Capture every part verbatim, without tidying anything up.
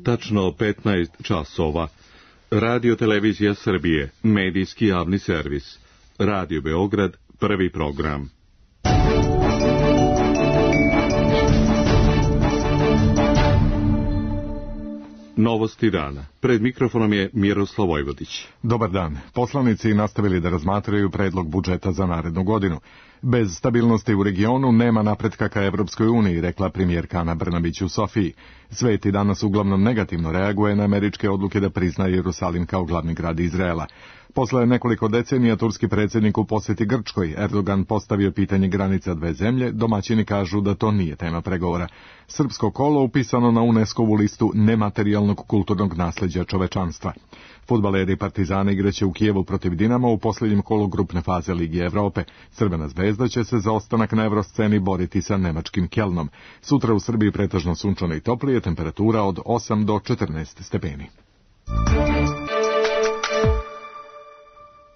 tačno petnaest časova. Radio Televizija Srbije, medijski javni servis. Radio Beograd, prvi program. Novosti dana. Pred mikrofonom je Miroslav Vojvodić. Dobar dan. Poslanici nastavili da razmatraju predlog budžeta za narednu godinu. Bez stabilnosti u regionu nema napretka ka Evropskoj uniji, rekla premijerka Ana Brnabić u Sofiji. Svet i danas uglavnom negativno reaguje na američke odluke da prizna Jerusalim kao glavni grad Izraela. Posle nekoliko decenija turski predsjednik u posjeti Grčkoj, Erdogan postavio pitanje granica dve zemlje, domaćini kažu da to nije tema pregovora. Srpsko kolo upisano na UNESCO-vu listu nematerijalnog kulturnog nasljeđa čovečanstva. Fudbaleri Partizana igraće u Kijevu protiv Dinama u posljednjem kolu grupne faze Lige Evrope. Crvena zvezda će se za ostanak na evrosceni boriti sa nemačkim Kelnom. Sutra u Srbiji pretežno sunčano i toplije, temperatura od osam do četrnaest stepeni.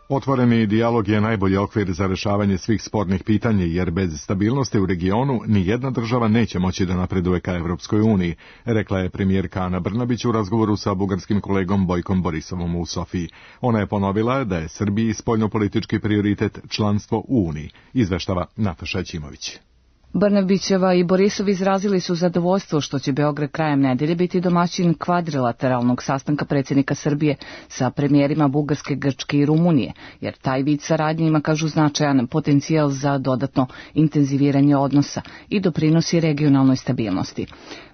Otvoreni dijalog je najbolji okvir za rešavanje svih spornih pitanja, jer bez stabilnosti u regionu ni jedna država neće moći da napreduje ka Evropskoj uniji, rekla je premijerka Ana Brnabić u razgovoru sa bugarskim kolegom Bojkom Borisovom u Sofiji. Ona je ponovila da je Srbiji spoljnopolitički prioritet članstvo u Uniji, izveštava Nataša Ćimović. Brnabićeva i Borisov izrazili su zadovoljstvo što će Beograd krajem nedelje biti domaćin kvadrilateralnog sastanka predsjednika Srbije sa premijerima Bugarske, Grčke i Rumunije, jer taj vid saradnje ima, kažu, značajan potencijal za dodatno intenziviranje odnosa i doprinosi regionalnoj stabilnosti.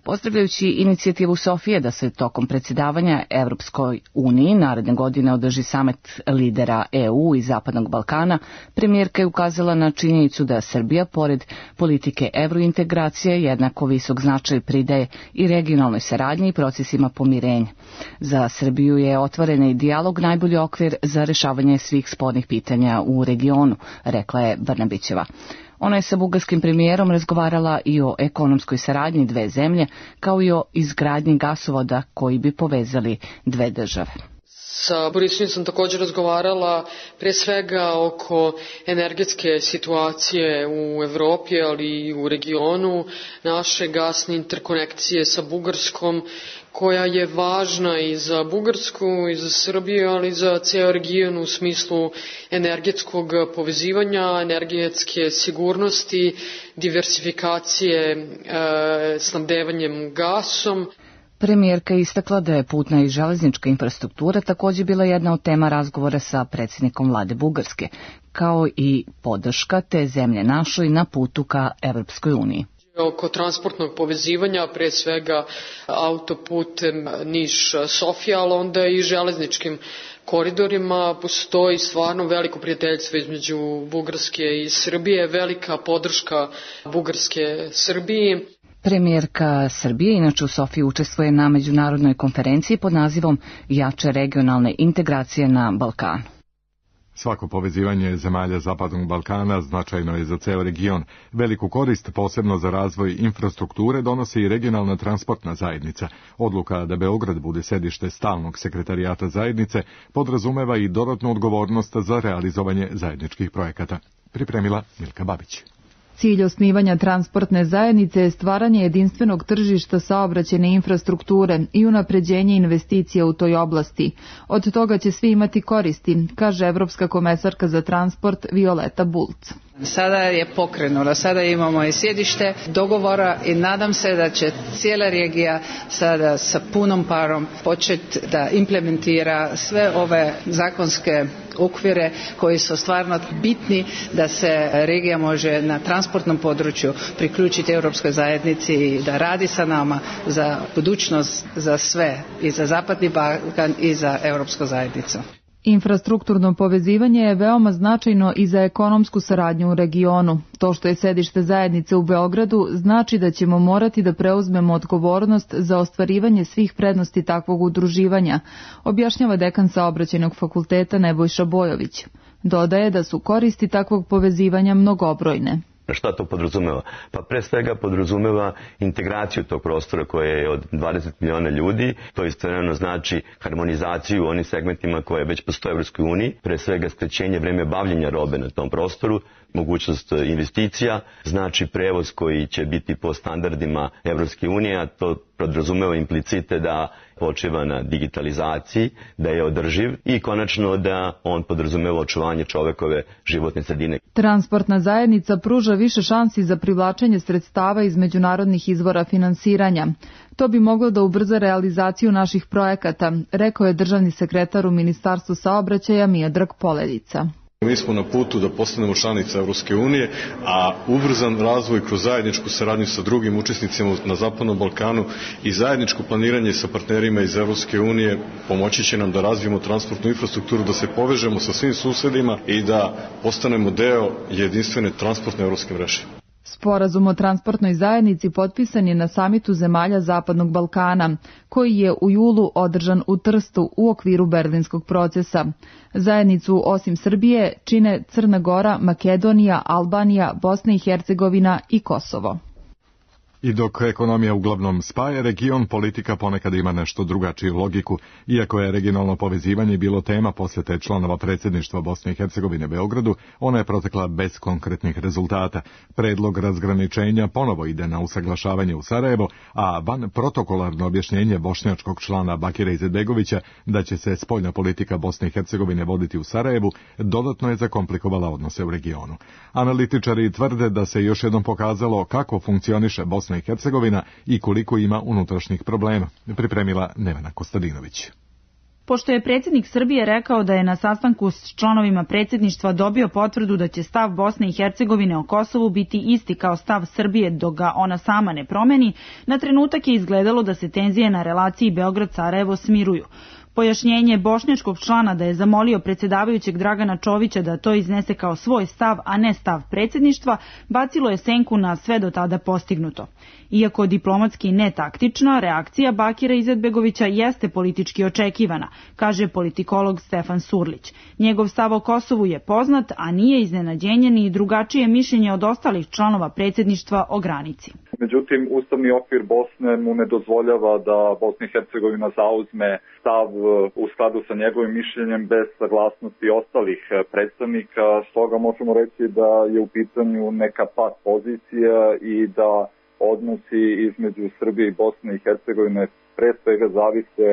Pozdravljajući inicijativu Sofije da se tokom predsjedavanja Evropskoj uniji naredne godine održi samet lidera E U i Zapadnog Balkana, premijerka je ukazala na činjenicu da Srbija, pored politike evrointegracije, jednako visok značaj pridaje i regionalnoj saradnji i procesima pomirenja. Za Srbiju je otvoreni dijalog najbolji okvir za rešavanje svih spornih pitanja u regionu, rekla je Brnabićeva. Ona je sa bugarskim premijerom razgovarala i o ekonomskoj saradnji dve zemlje, kao i o izgradnji gasovoda koji bi povezali dve države. Sa Borisom sam također razgovarala pre svega oko energetske situacije u Evropi, ali i u regionu, naše gasne interkonekcije sa Bugarskom, koja je važna i za Bugarsku i za Srbiju, ali i za ceo region u smislu energetskog povezivanja, energetske sigurnosti, diversifikacije e, snabdevanjem gasom. Premijerka je istakla da je putna i železnička infrastruktura također bila jedna od tema razgovora sa predsjednikom vlade Bugarske, kao i podrška te zemlje našoj na putu ka Evropskoj uniji. Oko transportnog povezivanja, pre svega autoputem Niš-Sofija, ali onda i železničkim koridorima, postoji stvarno veliko prijateljstvo između Bugarske i Srbije, velika podrška Bugarske Srbiji. Premijerka Srbije inače u Sofiji učestvuje na međunarodnoj konferenciji pod nazivom Jače regionalne integracije na Balkanu. Svako povezivanje zemalja Zapadnog Balkana značajno je za ceo region. Veliku korist, posebno za razvoj infrastrukture, donosi i regionalna transportna zajednica. Odluka da Beograd bude sedište stalnog sekretarijata zajednice podrazumeva i dodatnu odgovornost za realizovanje zajedničkih projekata. Pripremila Milka Babić. Cilj osnivanja transportne zajednice je stvaranje jedinstvenog tržišta saobraćajne infrastrukture i unapređenje investicija u toj oblasti. Od toga će svi imati koristi, kaže Evropska komesarka za transport Violeta Bulc. Sada je pokrenulo, sada imamo i sjedište dogovora i nadam se da će cijela regija sada sa punom parom početi da implementira sve ove zakonske okvire koji su stvarno bitni da se regija može na transportnom području priključiti Europskoj zajednici i da radi sa nama za budućnost, za sve, i za Zapadni Balkan i za Europsku zajednicu. Infrastrukturno povezivanje je veoma značajno i za ekonomsku saradnju u regionu. To što je sedište zajednice u Beogradu znači da ćemo morati da preuzmemo odgovornost za ostvarivanje svih prednosti takvog udruživanja, objašnjava dekan Saobraćajnog fakulteta Nebojša Bojović. Dodaje da su koristi takvog povezivanja mnogobrojne. Šta to podrazumeva? Pa pre svega podrazumeva integraciju tog prostora koje je od dvadeset miliona ljudi. To istovremeno znači harmonizaciju u onim segmentima koje već postoje u Evropskoj uniji, pre svega skraćenje vreme bavljenja robe na tom prostoru. mogućnost investicija, znači prevoz koji će biti po standardima Evropske unije, a to podrazumeva implicite da počiva na digitalizaciji, da je održiv i konačno da on podrazumeva očuvanje čovekove životne sredine. Transportna zajednica pruža više šansi za privlačenje sredstava iz međunarodnih izvora finansiranja. To bi moglo da ubrza realizaciju naših projekata, rekao je državni sekretar u Ministarstvu saobraćaja Miodrag Poledica. Mi smo na putu da postanemo članica Evropske unije, a ubrzan razvoj kroz zajedničku saradnju sa drugim učesnicima na Zapadnom Balkanu i zajedničko planiranje sa partnerima iz Evropske unije pomoći će nam da razvijemo transportnu infrastrukturu, da se povežemo sa svim susedima i da postanemo deo jedinstvene transportne evropske mreže. Sporazum o transportnoj zajednici potpisan je na samitu zemalja Zapadnog Balkana, koji je u julu održan u Trstu u okviru Berlinskog procesa. Zajednicu osim Srbije čine Crna Gora, Makedonija, Albanija, Bosna i Hercegovina i Kosovo. I dok ekonomija uglavnom spaja region, politika ponekad ima nešto drugačiju logiku. Iako je regionalno povezivanje bilo tema posjete članova predsjedništva Bosne i Hercegovine Beogradu, ona je protekla bez konkretnih rezultata. Predlog razgraničenja ponovo ide na usaglašavanje u Sarajevo, a van protokolarno objašnjenje bošnjačkog člana Bakira Izetbegovića da će se spoljna politika Bosne i Hercegovine voditi u Sarajevu dodatno je zakomplikovala odnose u regionu. Analitičari tvrde da se još jednom pokazalo kako funkcioniše Bosna i Hercegovina i koliko ima unutrašnjih problema, pripremila Nevena Kostadinović. Pošto je predsjednik Srbije rekao da je na sastanku s članovima predsjedništva dobio potvrdu da će stav Bosne i Hercegovine o Kosovu biti isti kao stav Srbije dok ga ona sama ne promeni, na trenutak je izgledalo da se tenzije na relaciji Beograd-Sarajevo smiruju. Pojašnjenje bošnjačkog člana da je zamolio predsjedavajućeg Dragana Čovića da to iznese kao svoj stav, a ne stav predsjedništva, bacilo je senku na sve do tada postignuto. Iako diplomatski ne taktična, reakcija Bakira Izetbegovića jeste politički očekivana, kaže politikolog Stefan Surlić. Njegov stav o Kosovu je poznat, a nije iznenađenje ni drugačije mišljenje od ostalih članova predsjedništva o granici. Međutim, ustavni okvir Bosne mu ne dozvoljava da Bosna i Hercegovina zauzme stav u skladu sa njegovim mišljenjem bez saglasnosti ostalih predstavnika. Stoga možemo reći da je u pitanju neka pat pozicija i da odnosi između Srbije i Bosne i Hercegovine pre svega zavise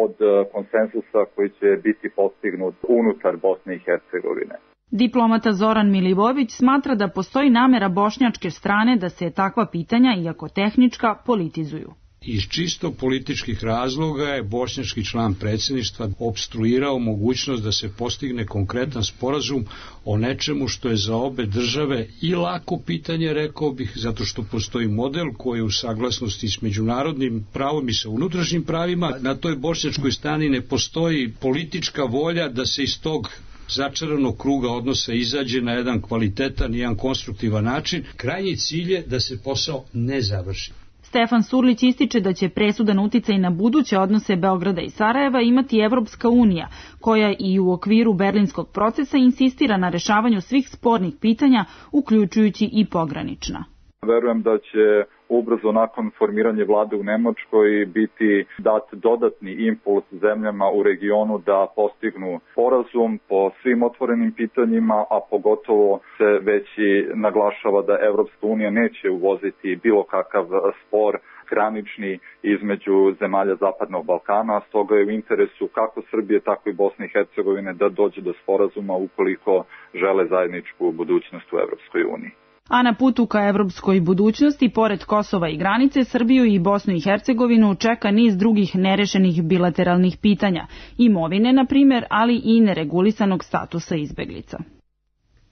od konsenzusa koji će biti postignut unutar Bosne i Hercegovine. Diplomata Zoran Milivojević smatra da postoji namera bošnjačke strane da se takva pitanja, iako tehnička, politizuju. Iz čisto političkih razloga je bošnjački član predsjedništva opstruirao mogućnost da se postigne konkretan sporazum o nečemu što je za obe države i lako pitanje, rekao bih, zato što postoji model koji je u saglasnosti s međunarodnim pravom i sa unutrašnjim pravima. Na toj bošnjačkoj strani ne postoji politička volja da se iz tog začaranog kruga odnosa izađe na jedan kvalitetan i jedan konstruktivan način. Krajnji cilj je da se posao ne završi. Stefan Surlić ističe da će presudan uticaj na buduće odnose Beograda i Sarajeva imati Evropska unija, koja i u okviru berlinskog procesa insistira na rešavanju svih spornih pitanja, uključujući i pogranična. Verujem da će ubrzo nakon formiranja vlade u Nemačkoj biti dat dodatni impuls zemljama u regionu da postignu sporazum po svim otvorenim pitanjima, a pogotovo se već i naglašava da Evropska unija neće uvoziti bilo kakav spor granični između zemalja Zapadnog Balkana, a stoga je u interesu kako Srbije, tako i Bosne i Hercegovine da dođe do sporazuma ukoliko žele zajedničku budućnost u Evropskoj uniji. A na putu ka evropskoj budućnosti, pored Kosova i granice, Srbiju i Bosnu i Hercegovinu čeka niz drugih nerešenih bilateralnih pitanja, imovine, na primjer, ali i neregulisanog statusa izbeglica.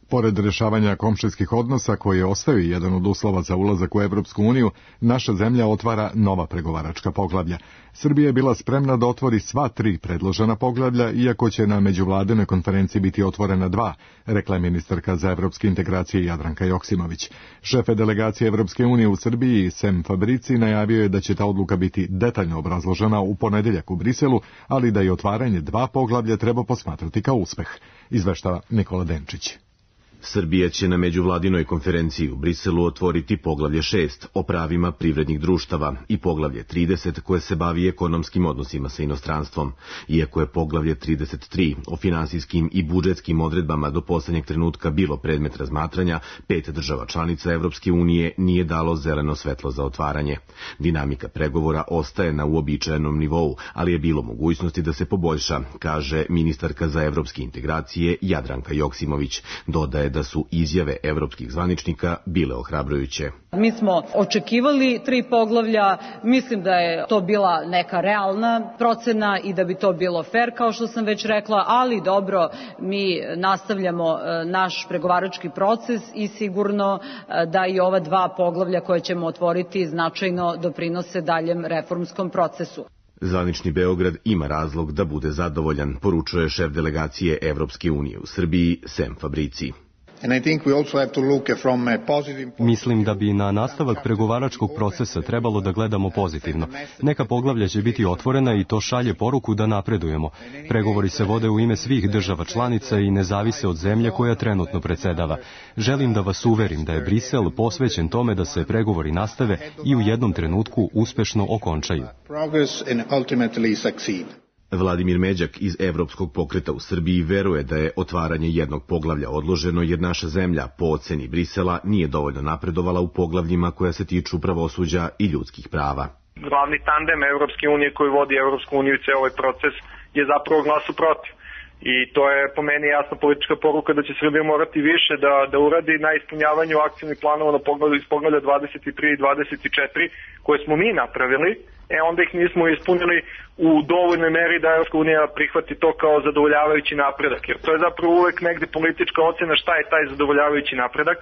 Pored rešavanja komšijskih odnosa, koji ostaju jedan od uslova za ulazak u Evropsku uniju, naša zemlja otvara nova pregovaračka poglavlja. Srbija je bila spremna da otvori sva tri predložena poglavlja, iako će na međuvladinoj konferenciji biti otvorena dva, rekla je ministarka za evropske integracije Jadranka Joksimović. Šefe delegacije Evropske unije u Srbiji, Sem Fabrici, najavio je da će ta odluka biti detaljno obrazložena u ponedeljak u Briselu, ali da je otvaranje dva poglavlja treba posmatrati kao uspeh, izveštava Nikola Denčić. Srbija će na međuvladinoj konferenciji u Briselu otvoriti poglavlje šest o pravima privrednih društava i poglavlje trideset koje se bavi ekonomskim odnosima sa inostranstvom. Iako je poglavlje trideset tri o finansijskim i budžetskim odredbama do poslednjeg trenutka bilo predmet razmatranja, pet država članica Evropske unije nije dalo zeleno svetlo za otvaranje. Dinamika pregovora ostaje na uobičajenom nivou, ali je bilo mogućnosti da se poboljša, kaže ministarka za evropske integracije Jadranka Joksimović. Dodaje da su izjave evropskih zvaničnika bile ohrabrujuće. Mi smo očekivali tri poglavlja, mislim da je to bila neka realna procena i da bi to bilo fair, kao što sam već rekla, ali dobro, mi nastavljamo naš pregovarački proces i sigurno da i ova dva poglavlja koje ćemo otvoriti značajno doprinose daljem reformskom procesu. Zvanični Beograd ima razlog da bude zadovoljan, poručuje šef delegacije Evropske unije u Srbiji Sem Fabrici. Mislim da bi na nastavak pregovaračkog procesa trebalo da gledamo pozitivno. Neka poglavlja će biti otvorena i to šalje poruku da napredujemo. Pregovori se vode u ime svih država članica i ne zavise od zemlje koja trenutno predsedava. Želim da vas uverim da je Brisel posvećen tome da se pregovori nastave i u jednom trenutku uspešno okončaju. Vladimir Međak iz Evropskog pokreta u Srbiji veruje da je otvaranje jednog poglavlja odloženo jer naša zemlja, po oceni Brisela, nije dovoljno napredovala u poglavljima koja se tiču pravosuđa i ljudskih prava. Glavni tandem Evropske unije koji vodi Evropsku uniju i ceo ovaj proces je zapravo glasu protiv. I to je po meni jasna politička poruka da će Srbija morati više da, da uradi na ispunjavanju akcijnih planova na poglavlju iz poglavlja dvadeset tri i dvadeset četiri koje smo mi napravili, e onda ih nismo ispunili u dovoljnoj meri da Evropska unija prihvati to kao zadovoljavajući napredak. Jer to je zapravo uvek negde politička ocena šta je taj zadovoljavajući napredak,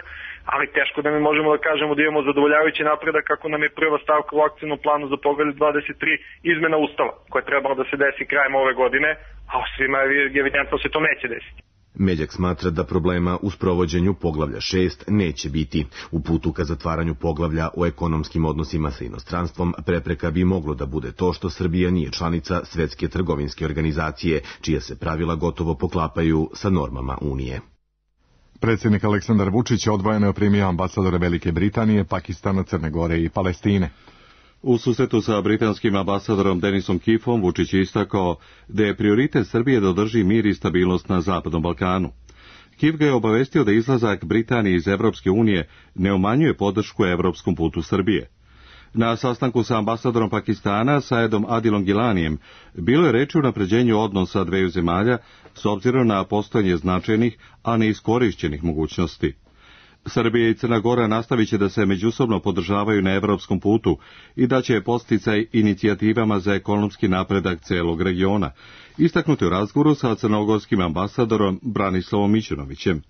ali teško da mi možemo da kažemo da imamo zadovoljavajući napredak kako nam je prva stavka u akcijnom planu za poglavlje dvadeset tri izmena Ustava, koja je trebala da se desi krajem ove godine, a svima je evidentno se to neće desiti. Međak smatra da problema u sprovođenju poglavlja šest neće biti. U putu ka zatvaranju poglavlja o ekonomskim odnosima sa inostranstvom prepreka bi moglo da bude to što Srbija nije članica Svetske trgovinske organizacije, čija se pravila gotovo poklapaju sa normama Unije. Predsjednik Aleksandar Vučić odvojeno je primio ambasadore Velike Britanije, Pakistana, Crne Gore i Palestine. U susretu sa britanskim ambasadorom Denisom Kifom Vučić je istakao da je prioritet Srbije da održi mir i stabilnost na Zapadnom Balkanu. Kif ga je obavestio da izlazak Britanije iz Evropske unije ne umanjuje podršku evropskom putu Srbije. Na sastanku sa ambasadorom Pakistana, Saedom Adilom Gilanijem, bilo je reči o unapređenju odnosa dveju zemalja s obzirom na postojanje značajnih, a neiskorišćenih mogućnosti. Srbija i Crna Gora nastavit će da se međusobno podržavaju na evropskom putu i da će podsticaj inicijativama za ekonomski napredak celog regiona, istaknuti u razgovoru sa crnogorskim ambasadorom Branislavom Mićunovićem.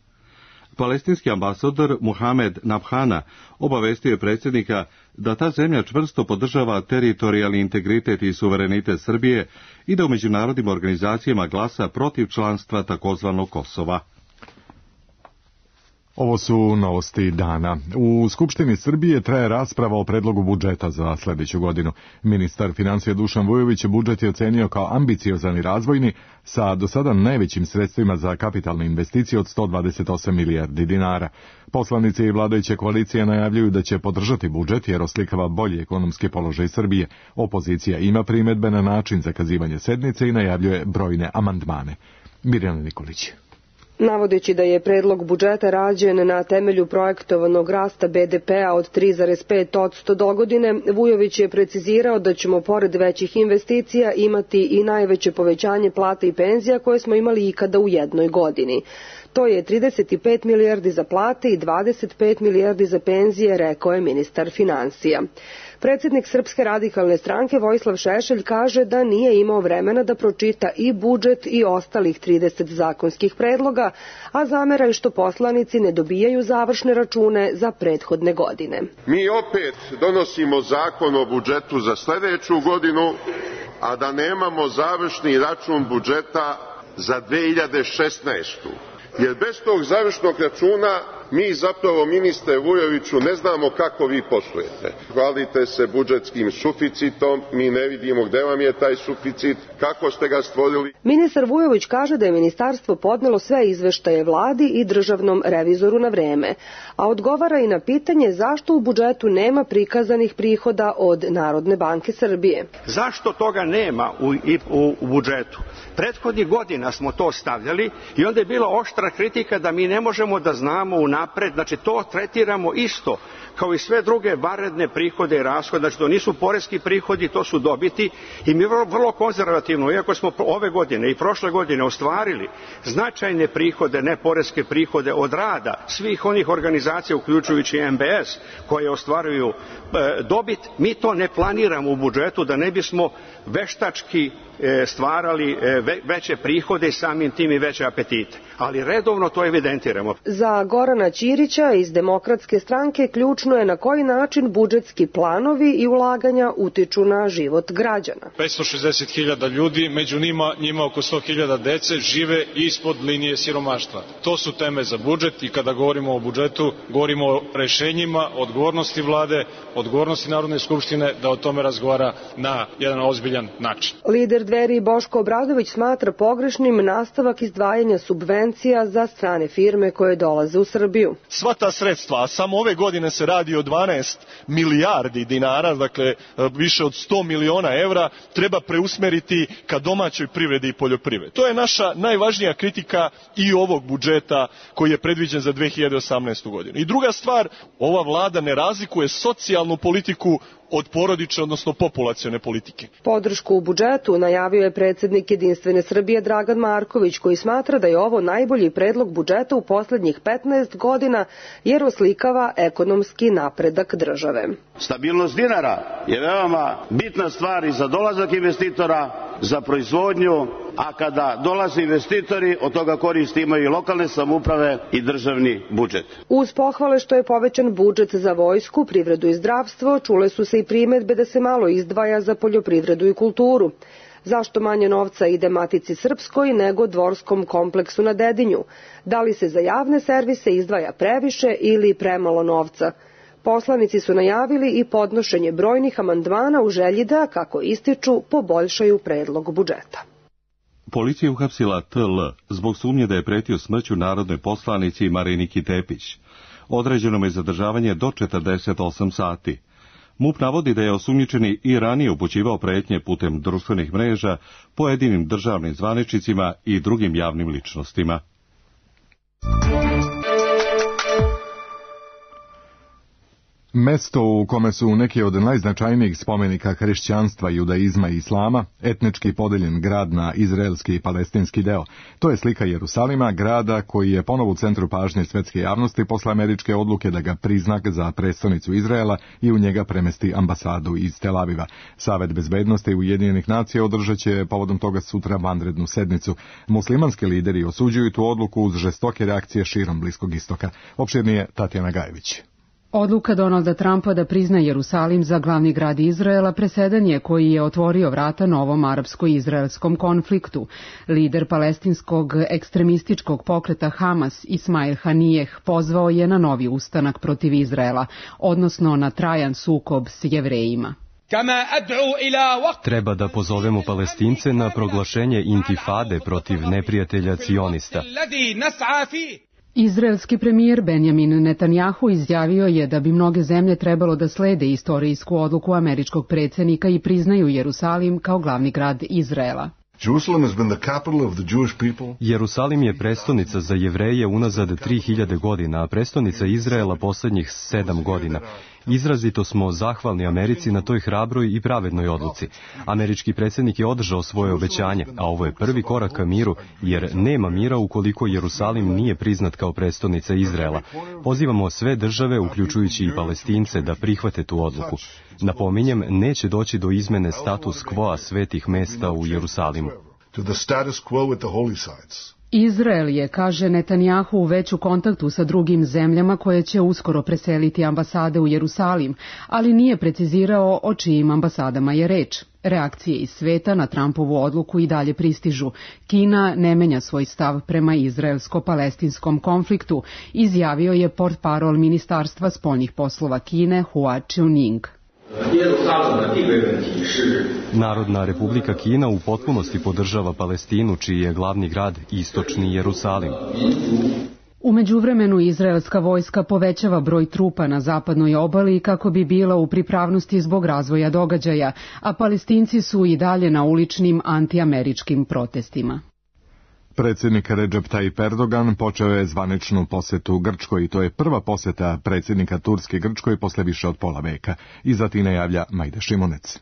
Palestinski ambasador Muhamed Nabhana obavestio je predsjednika da ta zemlja čvrsto podržava teritorijalni integritet i suverenitet Srbije i da u međunarodnim organizacijama glasa protiv članstva takozvanog Kosova. Ovo su novosti dana. U Skupštini Srbije traje rasprava o predlogu budžeta za sljedeću godinu. Ministar financija Dušan Vujović budžet je ocenio kao ambiciozan i razvojni sa do sada najvećim sredstvima za kapitalne investicije od sto dvadeset osam milijardi dinara. Poslanici i vladajuće koalicije najavljuju da će podržati budžet jer oslikava bolji ekonomski položaj Srbije. Opozicija ima primedbe na način zakazivanja sednice i najavljuje brojne amandmane. Mirjana Nikolić. Navodeći da je predlog budžeta rađen na temelju projektovanog rasta be de pea od tri zarez pet posto do godine, Vujović je precizirao da ćemo pored većih investicija imati i najveće povećanje plata i penzija koje smo imali ikada u jednoj godini. To je trideset pet milijardi za plate i dvadeset pet milijardi za penzije, rekao je ministar finansija. Predsjednik Srpske radikalne stranke Vojislav Šešelj kaže da nije imao vremena da pročita i budžet i ostalih trideset zakonskih predloga, a zamera je što poslanici ne dobijaju završne račune za prethodne godine. Mi opet donosimo zakon o budžetu za sljedeću godinu, a da nemamo završni račun budžeta za dve hiljade šesnaestu. Jer bez tog završnog računa mi zapravo, ministre Vujoviću, ne znamo kako vi poslujete. Hvalite se budžetskim suficitom, mi ne vidimo gde vam je taj suficit, kako ste ga stvorili. Ministar Vujović kaže da je ministarstvo podnelo sve izveštaje vladi i državnom revizoru na vreme, a odgovara i na pitanje zašto u budžetu nema prikazanih prihoda od Narodne banke Srbije. Zašto toga nema u, u, u budžetu? Prethodnih godina smo to stavljali i onda je bila oštra kritika da mi ne možemo da znamo unapred, znači to tretiramo isto kao i sve druge vanredne prihode i rashode, znači to nisu poreski prihodi, to su dobiti i mi vrlo, vrlo konzervativno, iako smo ove godine i prošle godine ostvarili značajne prihode, ne poreske prihode od rada svih onih organizacija, uključujući M B S, koje ostvaruju e, dobit, mi to ne planiramo u budžetu da ne bismo veštački e, stvarali e, ve, veće prihode i samim tim i veće apetite. Ali redovno to evidentiramo. Za Gorana Ćirića iz Demokratske stranke ključno je na koji način budžetski planovi i ulaganja utiču na život građana. petsto šezdeset hiljada ljudi, među njima, njima oko sto hiljada dece, žive ispod linije siromaštva. To su teme za budžet i kada govorimo o budžetu, govorimo o rešenjima, odgovornosti vlade, odgovornosti Narodne skupštine da o tome razgovara na jedan ozbiljan način. Lider Dveri Boško Obradović smatra pogrešnim nastavak izdvajanja subvencija za strane firme koje dolaze u Srbiju. Sva ta sredstva, a samo ove godine se radi o dvanaest milijardi dinara, dakle više od sto miliona evra, treba preusmeriti ka domaćoj privredi i poljoprivredi. To je naša najvažnija kritika i ovog budžeta koji je predviđen za dve hiljade osamnaestu. godinu. I druga stvar, ova vlada ne razlikuje socijalnu politiku od porodične, odnosno populacione politike. Podršku u budžetu najavio je predsednik Jedinstvene Srbije Dragan Marković, koji smatra da je ovo najbolji predlog budžeta u poslednjih petnaest godina jer oslikava ekonomski napredak države. Stabilnost dinara je veoma bitna stvar i za dolazak investitora, za proizvodnju, a kada dolaze investitori, od toga koristi imaju i lokalne samouprave i državni budžet. Uz pohvale što je povećan budžet za vojsku, privredu i zdravstvo, čule su se i primedbe da se malo izdvaja za poljoprivredu i kulturu. Zašto manje novca ide Matici Srpskoj nego dvorskom kompleksu na Dedinju? Da li se za javne servise izdvaja previše ili premalo novca? Poslanici su najavili i podnošenje brojnih amandmana u želji da, kako ističu, poboljšaju predlog budžeta. Policija je uhapsila T L zbog sumnje da je pretio smrću narodnoj poslanici Mariniki Tepić. Određeno je zadržavanje do četrdeset osam sati. MUP navodi da je osumnjičeni i ranije upućivao pretnje putem društvenih mreža pojedinim državnim zvaničnicima i drugim javnim ličnostima. Mesto u kome su neki od najznačajnijih spomenika hrišćanstva, judaizma i islama, etnički podeljen grad na izraelski i palestinski deo. To je slika Jerusalima, grada koji je ponovo u centru pažnje svetske javnosti posle američke odluke da ga prizna za prestonicu Izraela i u njega premesti ambasadu iz Tel Aviva. Savet bezbednosti Ujedinjenih nacija održat će povodom toga sutra vanrednu sednicu. Muslimanski lideri osuđuju tu odluku uz žestoke reakcije širom Bliskog istoka. Opširnije Tatjana Gajević. Odluka Donalda Trumpa da prizna Jerusalim za glavni grad Izraela presedan je koji je otvorio vrata novom arapsko-izraelskom konfliktu. Lider palestinskog ekstremističkog pokreta Hamas, Ismail Hanijeh, pozvao je na novi ustanak protiv Izraela, odnosno na trajan sukob s Jevrejima. Treba da pozovemo Palestince na proglašenje intifade protiv neprijatelja cionista. Izraelski premijer Benjamin Netanjahu izjavio je da bi mnoge zemlje trebalo da slede istorijsku odluku američkog predsjednika i priznaju Jerusalim kao glavni grad Izraela. Jerusalim je prestonica za Jevreje unazad tri hiljade godina, a prestonica Izraela posljednjih sedam godina. Izrazito smo zahvalni Americi na toj hrabroj i pravednoj odluci. Američki predsjednik je održao svoje obećanje, a ovo je prvi korak ka miru, jer nema mira ukoliko Jerusalim nije priznat kao prestonica Izraela. Pozivamo sve države, uključujući i Palestince, da prihvate tu odluku. Napominjem, neće doći do izmene status quo svetih mesta u Jerusalimu. Izrael je, kaže Netanjahu, već u kontaktu sa drugim zemljama koje će uskoro preseliti ambasade u Jerusalim, ali nije precizirao o čijim ambasadama je reč. Reakcije iz sveta na Trumpovu odluku i dalje pristižu. Kina ne menja svoj stav prema izraelsko-palestinskom konfliktu, izjavio je portparol Ministarstva spoljnih poslova Kine Hua Chunying. Narodna republika Kina u potpunosti podržava Palestinu, čiji je glavni grad istočni Jerusalim. U međuvremenu izraelska vojska povećava broj trupa na zapadnoj obali kako bi bila u pripravnosti zbog razvoja događaja, a Palestinci su i dalje na uličnim antiameričkim protestima. Predsjednik Recep Tayyip Erdogan počeo je zvaničnu posetu Grčkoj i to je prva poseta predsjednika Turske Grčkoj posle više od pola veka. Iz Atine javlja Majda Šimunec.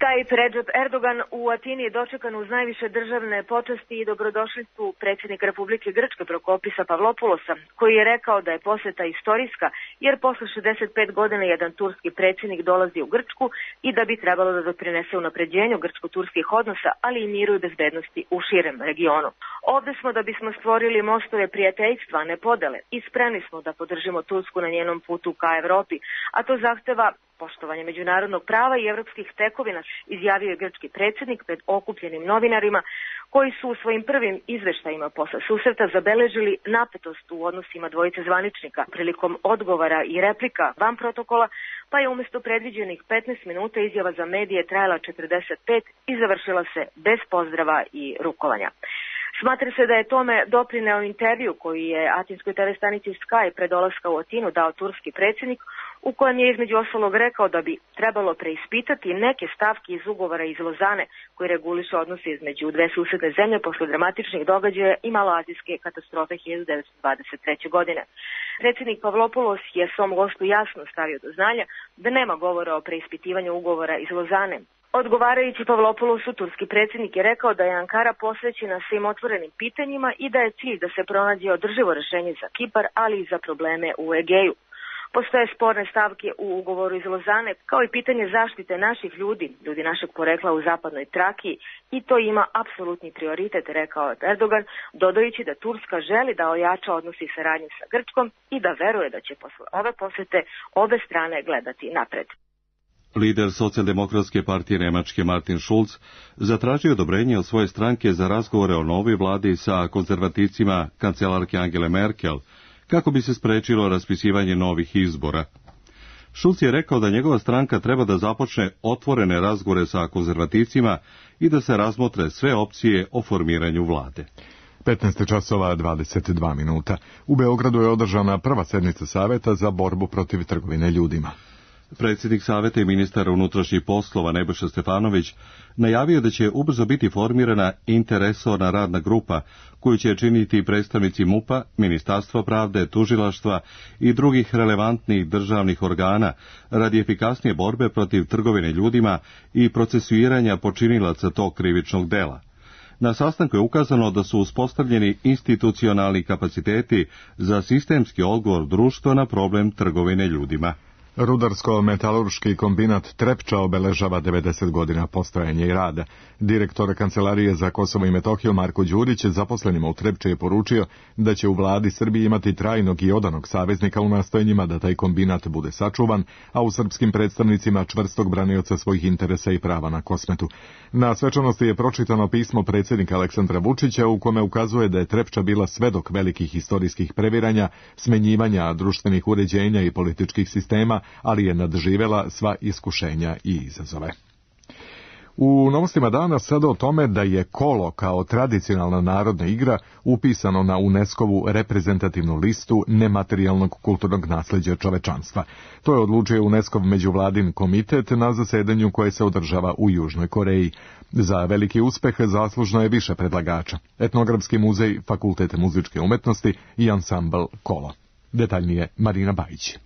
Tayyip Recep Erdogan u Atini je dočekan uz najviše državne počasti i dobrodošlicu predsjednika Republike Grčke Prokopisa Pavlopoulosa, koji je rekao da je poseta istorijska jer posle šezdeset pet godina jedan turski predsjednik dolazi u Grčku i da bi trebalo da doprinese unapređenju grčko-turskih odnosa, ali i miru i bezbednosti u širem regionu. Ovde smo da bismo stvorili mostove prijateljstva, a ne podele, i spremni smo da podržimo Tursku na njenom putu ka Evropi, a to zahteva poštovanje međunarodnog prava i evropskih tekovina, izjavio je grčki predsjednik pred okupljenim novinarima koji su u svojim prvim izveštajima posle susreta zabeležili napetost u odnosima dvojice zvaničnika prilikom odgovora i replika van protokola, pa je umjesto predviđenih petnaest minuta izjava za medije trajala četrdeset pet i završila se bez pozdrava i rukovanja. Smatra se da je tome doprineo intervju koji je atinskoj te ve stanici Sky pre dolaska u Atinu dao turski predsjednik, u kojem je između ostalog rekao da bi trebalo preispitati neke stavke iz ugovora iz Lozane koji reguliše odnose između dve susedne zemlje posle dramatičnih događaja i maloazijske katastrofe hiljadu devetsto dvadeset treće. godine. Predsjednik Pavlopoulos je svom gostu jasno stavio do znanja da nema govora o preispitivanju ugovora iz Lozane. Odgovarajući Pavlopoulosu, turski predsjednik je rekao da je Ankara posvećena svim otvorenim pitanjima i da je cilj da se pronađe održivo rešenje za Kipar, ali i za probleme u Egeju. Postoje sporne stavke u ugovoru iz Lozane, kao i pitanje zaštite naših ljudi, ljudi našeg porekla u zapadnoj Trakiji, i to ima apsolutni prioritet, rekao je Erdogan, dodajući da Turska želi da ojača odnosi i saradnju sa Grčkom i da veruje da će posle ove posete obe strane gledati napred. Lider socijaldemokratske partije Nemačke Martin Schulz zatražio odobrenje od svoje stranke za razgovore o novoj vladi sa konzervativcima kancelarke Angele Merkel, kako bi se sprečilo raspisivanje novih izbora. Schulz je rekao da njegova stranka treba da započne otvorene razgovore sa konzervativcima i da se razmotre sve opcije o formiranju vlade. petnaest časova dvadeset dva minuta. U Beogradu je održana prva sednica Saveta za borbu protiv trgovine ljudima. Predsjednik Saveta i ministar unutrašnjih poslova Nebojša Stefanović najavio da će ubrzo biti formirana interresorna radna grupa koju će činiti predstavnici MUP-a, Ministarstva pravde, tužilaštva i drugih relevantnih državnih organa radi efikasnije borbe protiv trgovine ljudima i procesuiranja počinilaca tog krivičnog dela. Na sastanku je ukazano da su uspostavljeni institucionalni kapaciteti za sistemski odgovor društva na problem trgovine ljudima. Rudarsko-metalurški kombinat Trepča obeležava devedeset godina postojanja i rada. Direktor Kancelarije za Kosovo i Metohiju Marko Đurić zaposlenima u Trepči je poručio da će u vladi Srbije imati trajnog i odanog saveznika u nastojanjima da taj kombinat bude sačuvan, a u srpskim predstavnicima čvrstog branioca svojih interesa i prava na Kosmetu. Na svečanosti je pročitano pismo predsjednika Aleksandra Vučića u kome ukazuje da je Trepča bila svedok velikih historijskih previranja, smenjivanja društvenih uređenja i političkih sistema, ali je nadživela sva iskušenja i izazove. U novostima dana sada o tome da je kolo kao tradicionalna narodna igra upisano na UNESCO-vu reprezentativnu listu nematerijalnog kulturnog nasleđa čovečanstva. To je odlučio UNESCO-v međuvladin komitet na zasedanju koje se održava u Južnoj Koreji. Za veliki uspeh zaslužno je više predlagača: Etnografski muzej, Fakultet muzičke umetnosti i ansambl Kolo. Detaljnije Marina Bajić.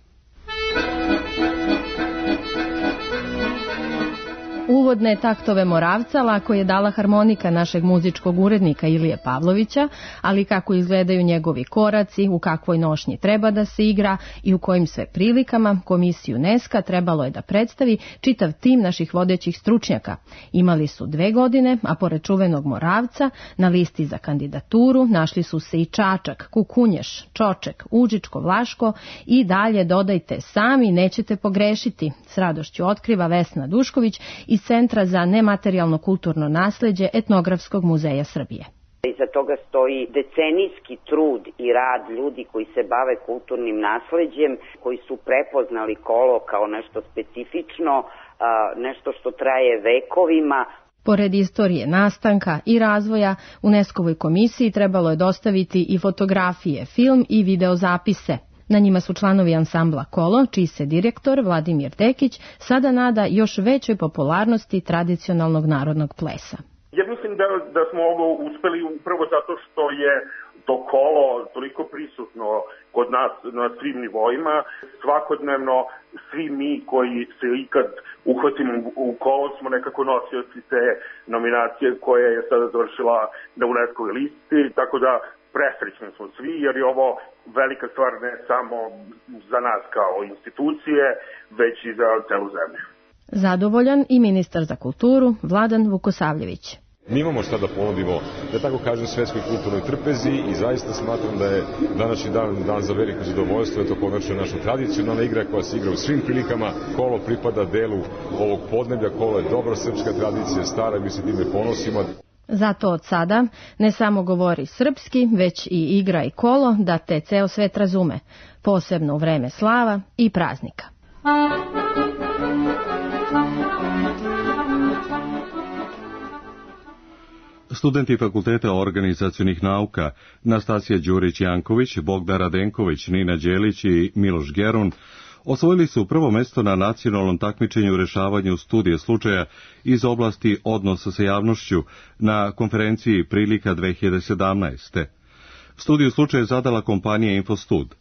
Uvodne taktove Moravca lako je dala harmonika našeg muzičkog urednika Ilije Pavlovića, ali kako izgledaju njegovi koraci, u kakvoj nošnji treba da se igra i u kojim sve prilikama, komisiju Neska trebalo je da predstavi čitav tim naših vodećih stručnjaka. Imali su dve godine, a pored čuvenog Moravca, na listi za kandidaturu našli su se i Čačak, Kukunješ, Čoček, Užičko, Vlaško i dalje dodajte sami, nećete pogrešiti. S radošću otkriva Vesna Dušković iz Centra za nematerijalno kulturno nasleđe Etnografskog muzeja Srbije. Iza toga stoji decenijski trud i rad ljudi koji se bave kulturnim nasleđem, koji su prepoznali kolo kao nešto specifično, nešto što traje vekovima. Pored istorije nastanka i razvoja, UNESCO-voj komisiji trebalo je dostaviti i fotografije, film i videozapise. Na njima su članovi ansambla Kolo, čiji se direktor Vladimir Dekić sada nada još većoj popularnosti tradicionalnog narodnog plesa. Ja mislim da, da smo ovo uspeli upravo zato što je to kolo toliko prisutno kod nas na svim nivoima. Svakodnevno svi mi koji se ikad uhvatimo u kolo smo nekako nosioci te nominacije koja je sada završila na UNESCO-voj listi, tako da presrećni smo svi jer je ovo velika stvar ne samo za nas kao institucije, već i za celu zemlju. Zadovoljan i ministar za kulturu Vladan Vukosavljević. Mi imamo šta da ponudimo, da tako kažem, svetskoj kulturnoj trpezi i zaista smatram da je današnji dan dan za veliko zadovoljstvo, je to konačno naša tradicionalna igra koja se igra u svim prilikama. Kolo pripada delu ovog podneblja, kolo je dobra srpska tradicija, stara, mi se time ponosimo. Zato od sada ne samo govori srpski, već i igra i kolo da te ceo svet razume, posebno u vreme slava i praznika. Studenti Fakulteta organizacionih nauka Nastasija Đurić-Janković, Bogdan Radenković, Nina Đelić i Miloš Gerun osvojili su prvo mesto na nacionalnom takmičenju u rešavanju studije slučaja iz oblasti odnosa sa javnošću na konferenciji Prilika dve hiljade sedamnaeste. Studiju slučaja je zadala kompanija Infostud.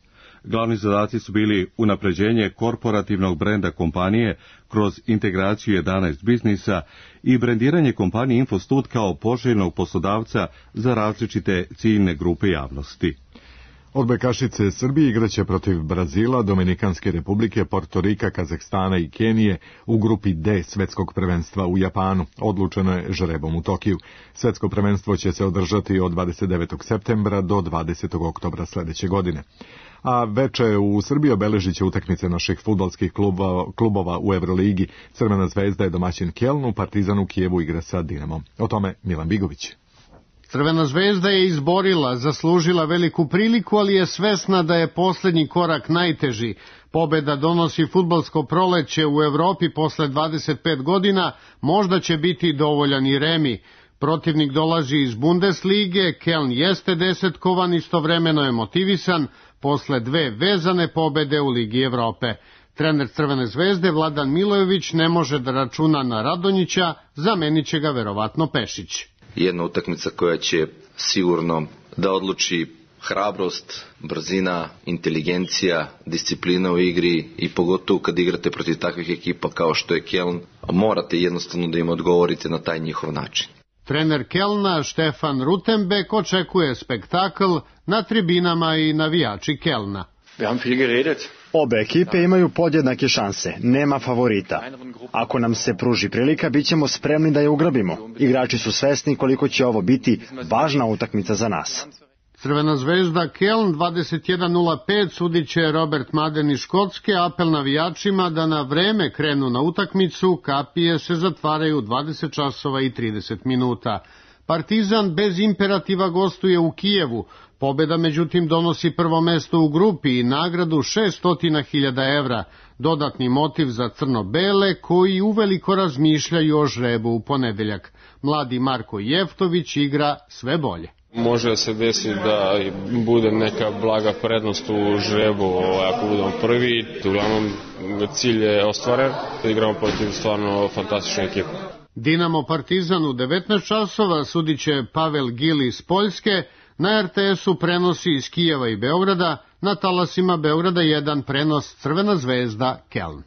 Glavni zadaci su bili unapređenje korporativnog brenda kompanije kroz integraciju jedanaest biznisa i brendiranje kompanije Infostud kao poželjnog poslodavca za različite ciljne grupe javnosti. Odbojkašice Srbije igraće protiv Brazila, Dominikanske republike, Portorika, Kazahstana i Kenije u grupi D svetskog prvenstva u Japanu. Odlučeno je žrebom u Tokiju. Svetsko prvenstvo će se održati od dvadeset devetog septembra do dvadesetog oktobra sledeće godine. A veče u Srbiji obeležit će utakmice naših fudbalskih klubova, klubova u Evroligi. Crvena zvezda je domaćin Kelnu, Partizan u Kijevu igra sa Dinamom. O tome Milan Bigović. Crvena zvezda je izborila, zaslužila veliku priliku, ali je svesna da je poslednji korak najteži. Pobeda donosi fudbalsko proleće u Evropi posle dvadeset pet godina, možda će biti dovoljan i remi. Protivnik dolazi iz Bundeslige, Keln jeste desetkovan, istovremeno je motivisan posle dve vezane pobede u Ligi Evrope. Trener Crvene zvezde Vladan Milojević ne može da računa na Radonjića, zamenit će ga verovatno Pešić. Jedna utakmica koja će sigurno da odluči hrabrost, brzina, inteligencija, disciplina u igri i pogotovo kad igrate protiv takvih ekipa kao što je Keln, morate jednostavno da im odgovorite na taj njihov način. Trener Kelna Štefan Rutenbeck očekuje spektakl na tribinama i navijači Kelna. Obe ekipe imaju podjednake šanse, nema favorita. Ako nam se pruži prilika, bit ćemo spremni da je ugrabimo. Igrači su svesni koliko će ovo biti važna utakmica za nas. Crvena zvezda Keln dvadeset jedan nula pet sudit će Robert Maden iz Škotske, apel navijačima da na vreme krenu na utakmicu, kapije se zatvaraju dvadeset časova i trideset minuta. Partizan bez imperativa gostuje u Kijevu, pobeda međutim donosi prvo mesto u grupi i nagradu šesto hiljada evra, dodatni motiv za crno-bele koji uveliko razmišljaju o žrebu u ponedeljak. Mladi Marko Jeftović igra sve bolje. Može da se desi da bude neka blaga prednost u žrebu ako budemo prvi. Uglavnom cilj je ostvaren, da igramo protiv stvarno fantastične ekipe. Dinamo Partizan u devetnaest časova sudit će Pavel Gil iz Poljske, na er te es-u prenosi iz Kijeva i Beograda, na talasima Beograda jedan prenos Crvena zvezda Keln.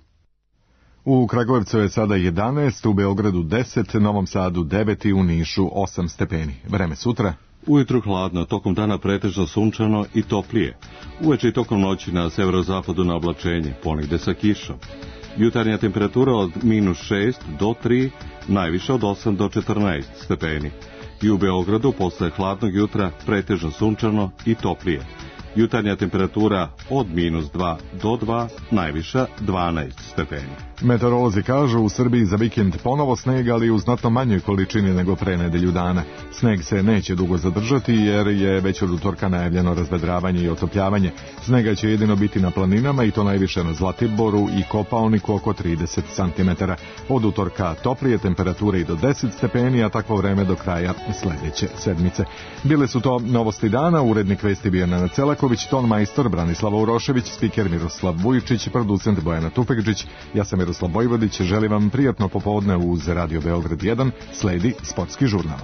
U Kragujevcu je sada jedanaest, u Beogradu deset, Novom Sadu devet i u Nišu osam stepeni. Vreme sutra. Ujutru hladno, tokom dana pretežno sunčano i toplije. Uveče i tokom noći na severozapadu na oblačenje, ponegde sa kišom. Jutarnja temperatura od minus šest do tri, najviše od osam do četrnaest stepeni. I u Beogradu posle hladnog jutra pretežno sunčano i toplije. Jutarnja temperatura od minus dva do dva, najviša dvanaest stepeni. Meteorolozi kažu u Srbiji za vikend ponovo sneg, ali u znatno manjoj količini nego pre nedelju dana. Sneg se neće dugo zadržati jer je već od utorka najavljeno razvedravanje i otopljavanje. Snega će jedino biti na planinama i to najviše na Zlatiboru i Kopaoniku oko trideset centimetara. Od utorka toplije temperature i do deset stepeni, a takvo vreme do kraja sledeće sedmice. Bile su to novosti dana, urednik vesti bio Nenad Celaković, ton majstor Branislava Urošević, spiker Miroslav Vujičić, producent Bojana Tupekđić. Ja sam Miroslav Bojvodić, želim vam prijatno popodne uz Radio Beograd jedan, sledi sportski žurnal.